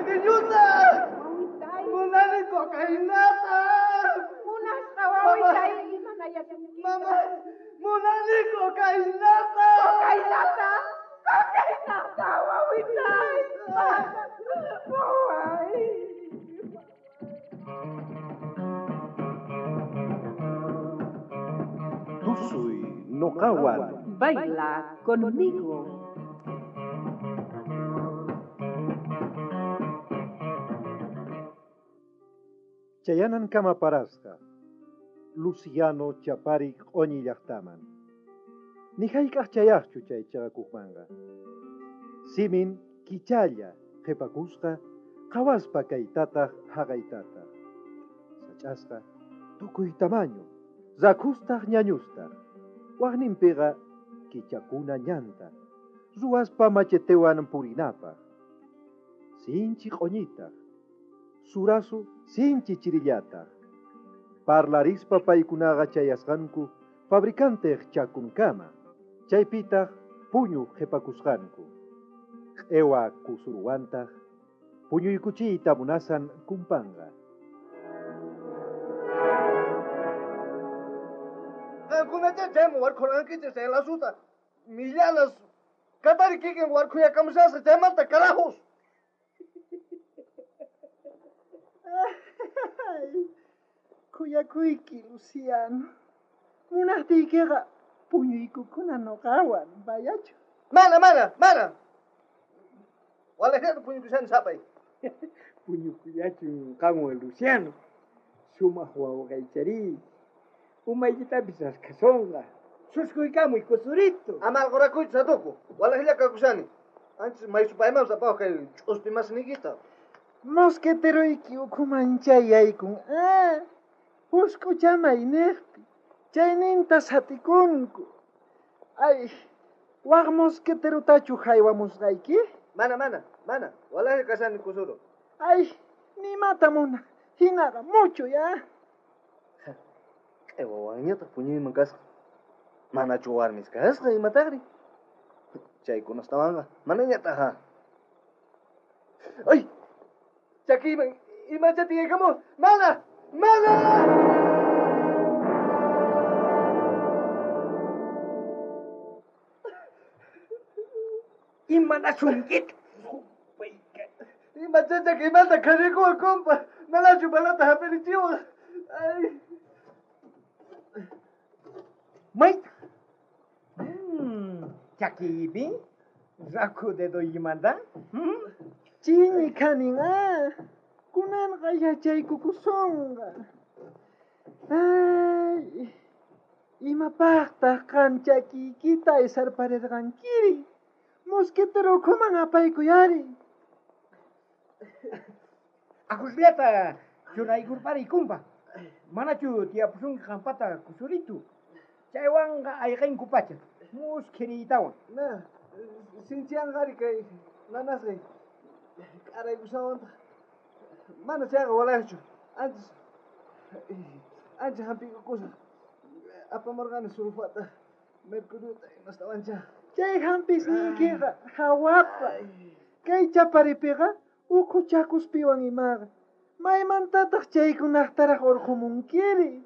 Aceitiñuta! Munani cocainata! Munasqa wawitay imanayasunkita. Mama, munani cocainata! Cocainata! Cocainata, wawitay! Waway! Tusuy noqawan. Baila conmigo. Chayanan kama parasqa. Luciano chapari q'uñi llaqtaman. Ni hayk'aq chayaqchu chay chaqakuqmanqa. Simin kichalla qhipakusqa qhawaspa kaytataq haqaytataq. Sach'asqa tukuy tamaño, rakhustaq ñañustaq. Waqninpiqa kichakuna ñanta, ruwaspa machetewan purinapaq. Sinchi q'uñitaq, surasu sinchi chirillataq. Parlarispa paykunaqa chayasqanku fabricanteq chakunkama, chaypitaq puñu qhipakusqanku. Q'ewa kusurwantaq puñuykuchiyta munasan kumpanqa. Qamkunacha chayman warkhurqankichis chay lasuta. Millanas katari kikin warkhuyakamushasqa chaymanta carajos. Ay, khuyakuyki, Luciano. Munaqtiykiqa puñuykukuna noqawan, vayachu. Mana, mana, mana. Walajllata puñukushani sapay. Puñukuyachun qanwan, Luciano. Sumaq wawqaychari. Umaykitapis raskhasonqa. Suskuykamuy, kusurito. Ama alqurakuychu, satuku. Walajlla kakushani. Anchis maysupaymanpas apawaq kay ch'uspi masniykita. Mosqueteroyki ukhuman chayaykun. Ah, husk'uchamay niqpi. Chayninta satikunku. Ay, waq mosqueterotachu haywamusqayki? Mana, mana, mana. Walajlla kashani, kusuro. Ay, nimata munaq. Hinaqa mucho ya. Q'ewawanñataq puñuyman kasqa. Manachu warmis kasqa imataqri? Chaykunastawanqa manañataq ha. Ay! Chakiyman imacha tiyaykamuwan. Mana! Mana! Imanasunkita? Imacha chakiymanta kharikuwan, compa. Manachu balata hap'irichiwan. Ay. Mayta. Chakiypi rakhu dedoykimanta. Chiñi khanin, ah. Kunanqa yachaykukusonqa. Ay, imapaqtaq qan chakiykita aysarparirqankiri? Mosquetero ukhuman apaykuyari. Ajusllata churaykurpariy, kumpa. Manachu tiyapusunki qampata kusuritu. Chaywanqa ayqinku pacha. Muskhiriytawan. Na, sinchiyanqari kay nanasqay. K'araykushawantaq. Mana chayqa walajchu. Antes ancha hampiykukusaq. Apamurqani sulfata, mercuriota imastawancha. Chay hampisniykiqa hawapa. Kay chaparipiqa ukhu chakuspiwan imaqa. Maymantataq chaykunaqtaraq urqumunkiri?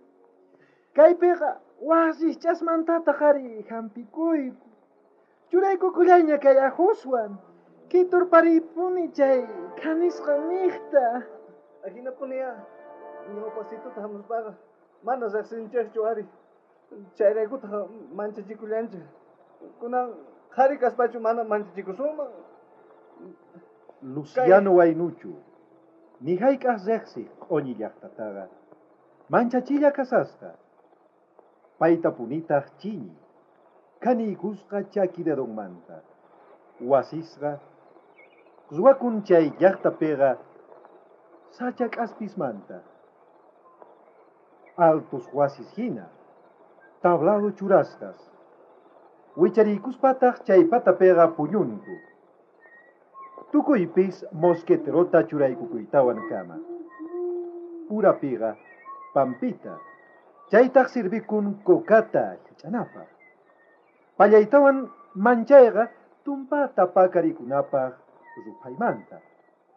Kaypiqa wasisch'asmantataq ari hampikuyku. Churaykukullayña kay ajuswan. Kiturpariypuni chay khanisqan niqta. Ajinapuni ya ñawpasituta hamuspaqa mana riqsinchikchu ari. Chayraykutaq manchachikullanchik. Kunan qhari kaspachu mana manchachikusunman. Luciano Waynuchu, ni hayk'aq riqsiq q'uñi llaqtataqa. Manchachilla kasasqa. Paytapunitaq chiñi. Khaniykusqa chaki dedonmanta. Wasisqa ruwakun chay llaqtapiqa sacha k'aspismanta. Altos wasis hina, tablado churasqas. Wichariykuspataq chay patapiqa puñunku. Tukuypis mosqueterota churaykukuytawan kama. Urapiqa pampita. Chaytaq sirvikun kokata hich'anapaq. Pallaytawan manchayqa tumpata pakarikunapaq ruphaymanta.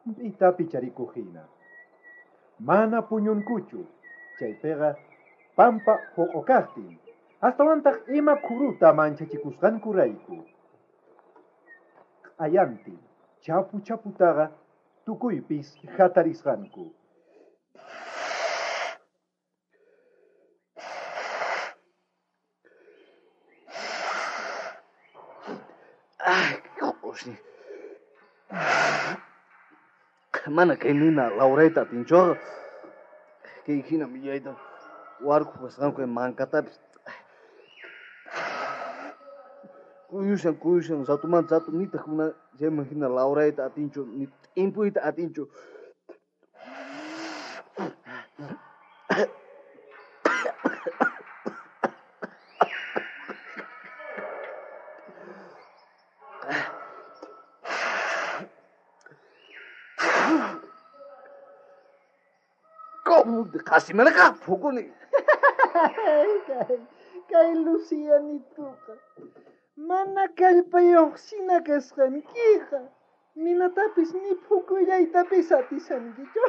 Mp'ita picharikuq hina. Mana puñunkuchu, chaypiqa pampa huq'ukaqtin, astawantaq ima khuruta manchachikusqankurayku. Q'ayantin chapu chaputaqa tukuypis hatarisqanku. Ay, q'usñi. Mana kay nina lawrayta atinchuqa. Kay hina millayta warkhu kasqanku mankatapis. Kuyushan, kuyushan, ratumanta ratu nitaq mana chayman hina lawrayta atinchu, ni t'impuyta atinchu. ¿Cómo? Casi me la pukuni. Kay Lucianituqa mana kallpayuqsina kasqankiqa ninatapis ni phukuyllay atishankichu.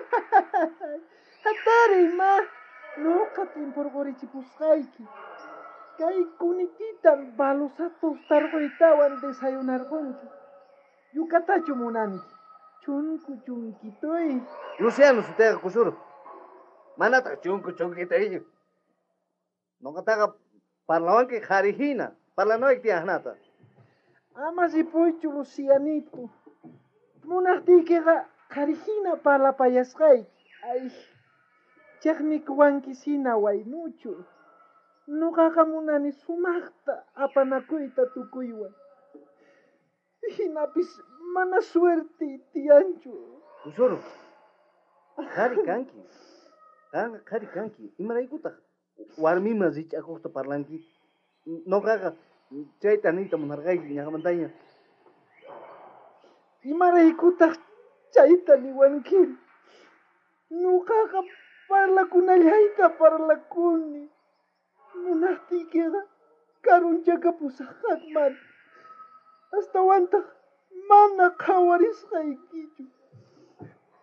Hatariy ma, nuqa t'impurqurichipusqayki. Kay kunititan balusatus tarquytawan desayunarqunki. Yukatachu munanki? Chunku chunkituy. Luciano sutayqa kusuru. Manataq chunku chunkitaychu. Nuqataqa parlawanki qhari hina, parlanayki tiyanata. Ama ripuychu Lucianito. Munaqtiykiqa qhari hina parlapayasqayki. Ay, chaqnikuwankisina waynuchu. Nuqaqa munani sumaqta apanakuyta tukuywan. Hinapis mana suerte tiyanchu. Kusuru, qhari kanki. Qanqa qhari kanki. Imaraykutaq warmiman rich'akuqta parlanki? Nuqaqa chayta niyta munarqayki ñaqamantaña. Imaraykutaq chayta niwanki? Nuqaqa parlakunallayta parlakuni. Munaqtiykiqa karunchakapusaqman. Astawantaq mana qhawarisqaykichu.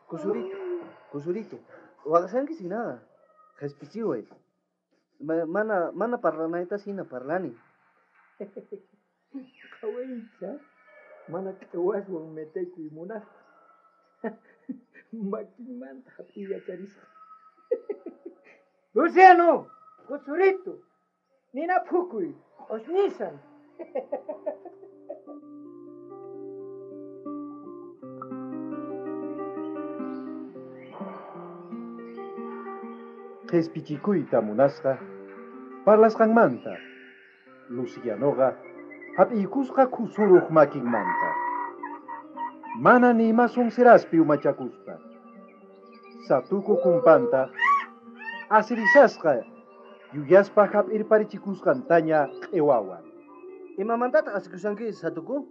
Kusurito, kusurito, waqashanki sinaqa, qhispichiway. Mana, mana parlanayta sina parlani. Qhawaycha, mana q'ewaswan metekuy munaspa. Makinmanta hap'iyacharisqa. Luciano, kusurito, nina phukuy, q'usñisan. Qhispichikuyta munasqa parlasqanmanta Lucianoqa hap'iykusqa khusuruq makinmanta. Mana ni ima sonseraspi umachakuspa. Satuku kumpanta asirisasqa yuyaspa hap'irparichikusqantaña q'iwawan. Imamantataq asikushanki, Satuku?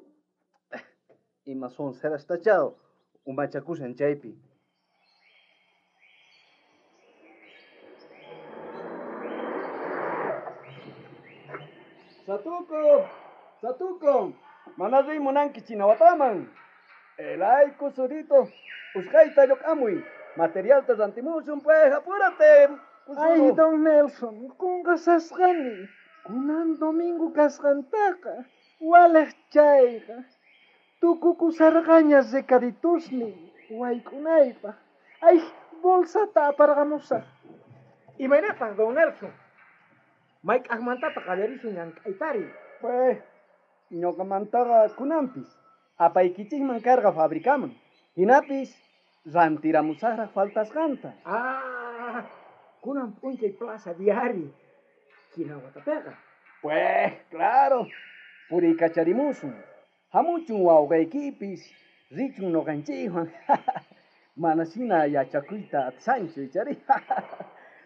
Ima sonserastacha umachakushan chaypi. Satuku, Satuku, mana riy munanki Chinawataman. Elay kusurito, usqayta lluq'amuy, materialta rantimusun pues, apúrate. Ay, don Nelson, qunqasasqani. Kunan domingo kasqantaqa, waliq chayqa. Tukukusarqaña recaditusniy wayk'unaypaq. Ay, bolsata aparqamusaq. Imaynataq, don Nelson? Mayk'aqmantataq qallarisun llank'aytari? Pues, ñuqamantaqa kunanpis apaykichikman karqa fabricaman. Hinapis rantiramusaqraq faltasqanta. Ah, kunan p'unchay plaza diari. Chinawatapiqa. Pues, claro, puriykacharimusun. Hamuchun wawqaykipis, richun nuqanchikwan. Mana shina yachakuyta atisanchu ichari.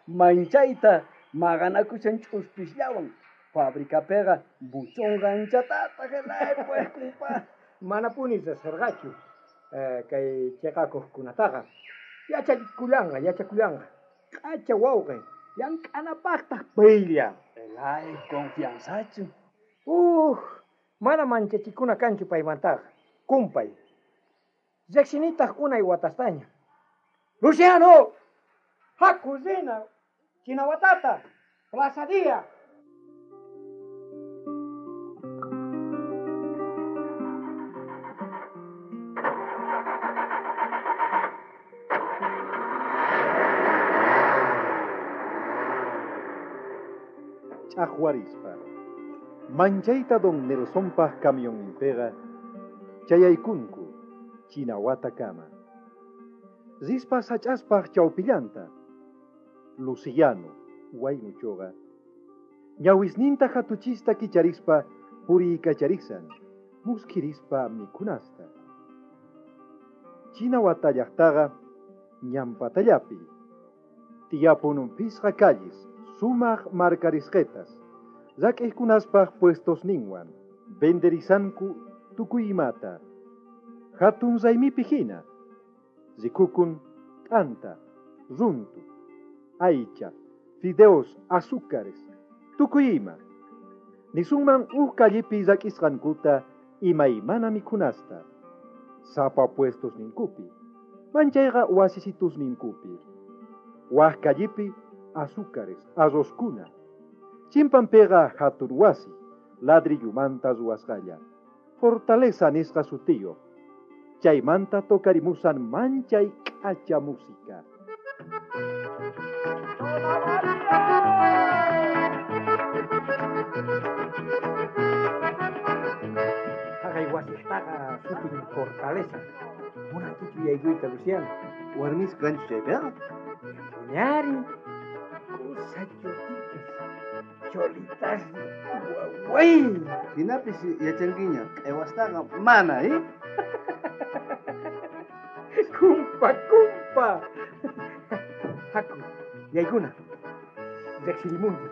Manchayta maqanakushan ch'uspisllawan. Fabricapiqa buchonqa anchatataq elay pues, kumpa. Manapuni riqsirqachu kay chiqakuqkunataqa. Yachakullanqa, yachakullanqa. K'acha wawqi, llank'anapaqtaq paylla. Elay, confianzachu. Uj, mana manchachikuna kanchu paymantaqa. Kumpay. Riqsinitaj unay watastaña. Luciano! Haku rina Chinawatata, Plaza Día. Ch'aqwarispa. Manchayta don Nelsonpaj camionninpiqa chayaykunku Chinawatakama. Rispa sach'aspaj chawpillanta. Luciano, waynuchuqa, ñawisninta hatuchista kicharispa puriykacharisan, muskhirispa mikhunasta. Chinawata llaqtaqa ñanpatallapi. Tiyapun phisqa calles, sumaq marcarisqetas, rak'iykunaspaj puestosninwan, venderisanku tukuy imata. Hatun raymipi hina, rikukun t'anta, runtu, aycha, fideos, azúcares, tukuy ima. Nisunman uj callepi rak'isqankuta imaymana mikhunasta. Sapa puestosninkupi, manchayqa wasisitusninkupi. Waj callepi azúcares, arrozkuna. Chimpanpiqa hatun wasi, ladrillumanta ruwasqalla. Fortaleza nisqa sutiyuq. Chaymanta tocarimusan manchay k'acha música. Haqay wasiqtaqa sutin Fortaleza. Munankichu yaykuyta, Luciano? Warmis kanchu chaypiqa? Puñari, kusa chotitas, cholitas, waway. Hinapis yachankiña, q'ewastaqa mana, eh? Kumpa, kumpa. Haku, yaykuna. Riqsirimunki.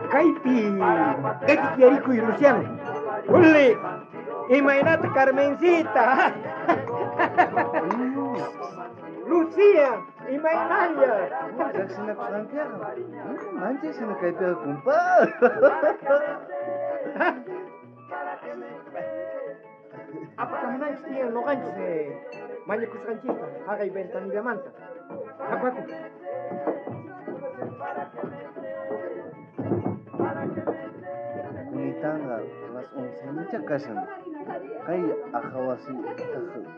Kaypi, kaypi tiyarikuy, Luciano. Uli, imaynata Carmencita. Lucía, imaynalla. Riqsinakusqankiqa. Manchay sina kaypiqa, kumpa. Apakamunanchis tiyan noqanchis mañakusqanchista haqay ventanillamanta. Haku, haku. Kunitanqa las 11 kashan. Kay aja wasitaq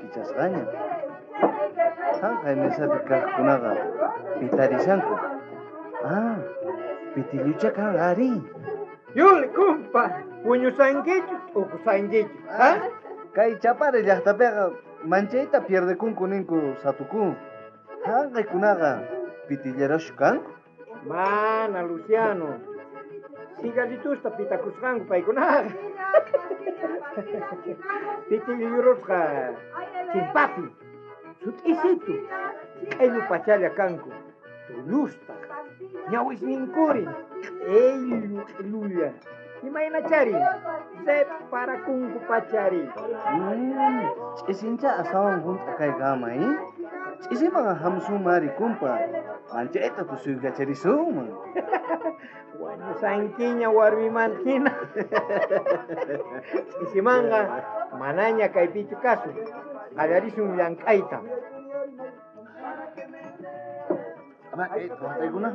kichasqaña. Hanqay mesapi kaqkunaqa pitarishanku. Ah, pitillucha kan ari. Yuli, kumpa, puñusankichu, t'ukusankichu, ha? Kay Chapare llaqtapiqa manchayta pierdekunku ninku satukun. Hanqaykunaqa pitilleraschu kanku. Mana, Luciano. Cigarritusta pitakusqanku paykunaqa. Pitillurusqa chimpapi, sut'isitu, q'ellu pachalla kanku, tullustaq, ñawisninkuri, q'ellu q'ellulla. Imaynachari, separakunku pachari. Ch'isincha astawan hunt'a kaykama, eh? Ch'isiman hamusunmari, kumpa. Manchayta tusuykacharisunman. Wañusankiña warmimanta hina. Ch'isimanqa manaña kaypichu kasun. Qallarisun llank'ayta. Ama, waqtaykuna.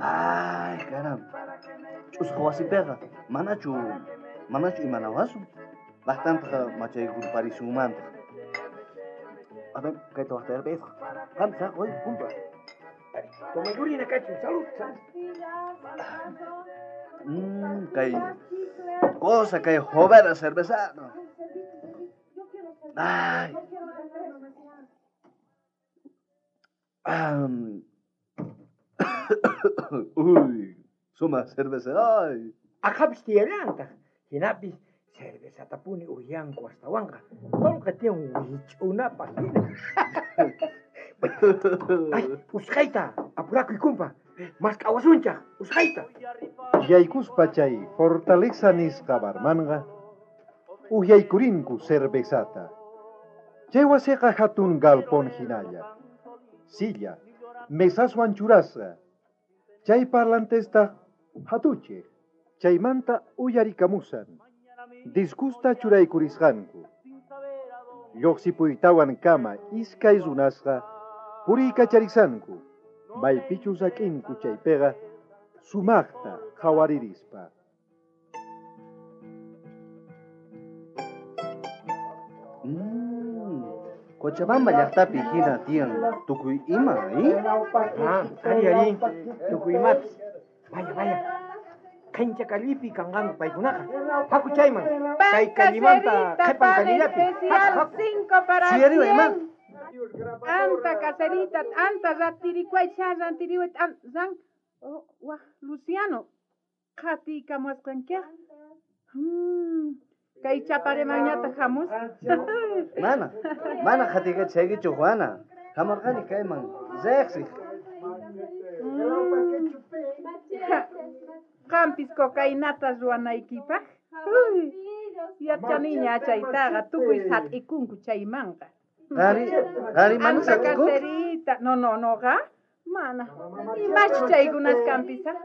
Ay, caramba. Ch'usqa wasipiqa manachu imanawasun. Bastante machaykuparisunmantaq. A ver, kayta waqtayarpayqa. Qam saqoy, kumpa. Tomaykurina kachun, salud, salud. Kay cosa, kay jovera cerveza. Ay. Uy, suma cerveza, ay. Aqhapis tiyallantaq, hinapis cervezatapuni uyanku astawanqa. Qolqe tiyan wich'unapaq hina. Ay, usqhayta, apurakuy, kumpa. Mask'awasunchaq, usqhayta. Yaykuspa chay Fortaleza nisqa barmanqa uhyaykurinku cervezata. Chay wasiqa hatun galpón hinalla. Silla, mesaswan churasqa. Chay parlantestaq hatuchej, chaymanta uyarikamusan. Disgusta churaykurisqanku. Lluqsipuytawan kama iskay runasqa puriykacharisqanku. Maypichus rak'inku chaypiqa sumaqta qhawaririspa. Cochabamba llaqtapi hina tiyan tukuy ima, ¿eh? Ah, ari, ari, tukuy imapis. Vaya, vaya. Qhincha kallipi kanqanku paykunaqa. Haku chayman. Kay kallimanta Caserita, qhipan pan kallillapi. especial, Haku, haku. 5 para Sí, arriba, 100. ima. Anta caserita, anta ratirikway, sha rantiriway, an, ran. Oh, waj, Luciano, qhatiykamuwasqankiqa. Kay chaparemañataq hamus. Mana, mana qhatiykachaykichu Juana. Hamurqani kayman riqsiq. Qampis cocainata ruwanaykipaq. Uy, yachaniña chaytaqa tukuy sat'ikunku chaymanqa. Qari, qari mana Anta sat'ikunki? caserita. No, no, noqa mana. Imachu chaykunas kanpis, ah?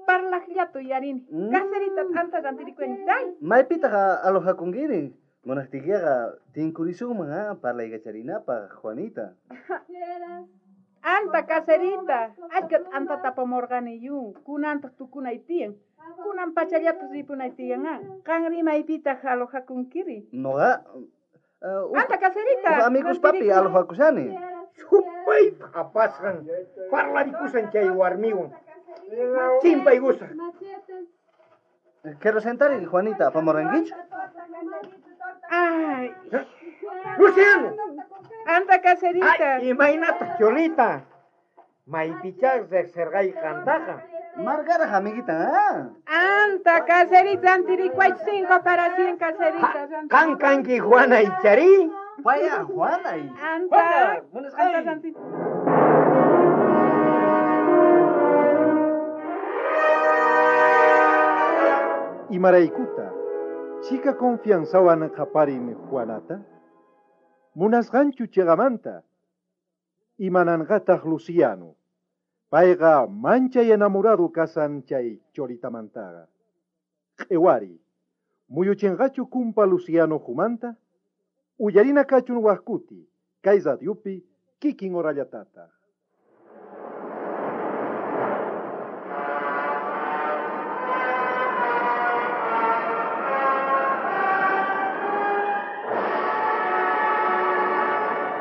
Parlaqllata uyarini. Caserita anta rantirikuentay. Maypitaq alojakunkiri? Munaqtiykiqa tinkurisunman, ah, parlaykacharinapaq, Juanita. Anta caserita, achka t'antata apamurqani yun, kunantaq tukunay tiyan. Kunan pachallataq ripunay tiyan, ah. Qanri maypitaq alojakunkiri? Noqa Anta caserita. Uj amigos papi alojakushani. Supaypaq apasqan parlarikusan chay warmiwan. Chimpaykusaq. Quiero sentar y Juanita, apamurqankichu? Ay. Luciano. Anta caserita. Ay, imaynataq Cholita. Maypichá riqsirqay qantaqa. Margaraj amiguita, ah. Anta caserita, antirikuay 5 para 100 caserita. Qan kanki Juana icharí. Vaya, Juana. Anta, anta ranti- Imaraykuta, chika confianzawan qaparin Juanata? Munasqanchu chiqamanta? Imananqataq Luciano. Payqa manchay enamorado kasan chay choritamantaqa. Q'iwari, muyuchinqachu kumpa Luciano humanta? Uyarina kachun waqkuti, kay radiopi kikin horallatataq.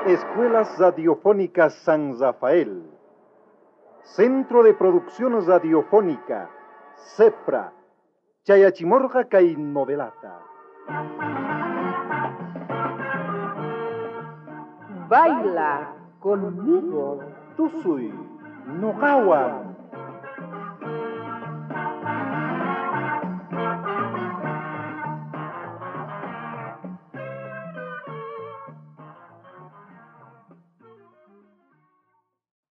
Escuelas Radiofónicas San Rafael. Centro de Producción Radiofónica, CEPRA. Chayachimorja kay novelata. Baila conmigo. Tusuy, noqawan.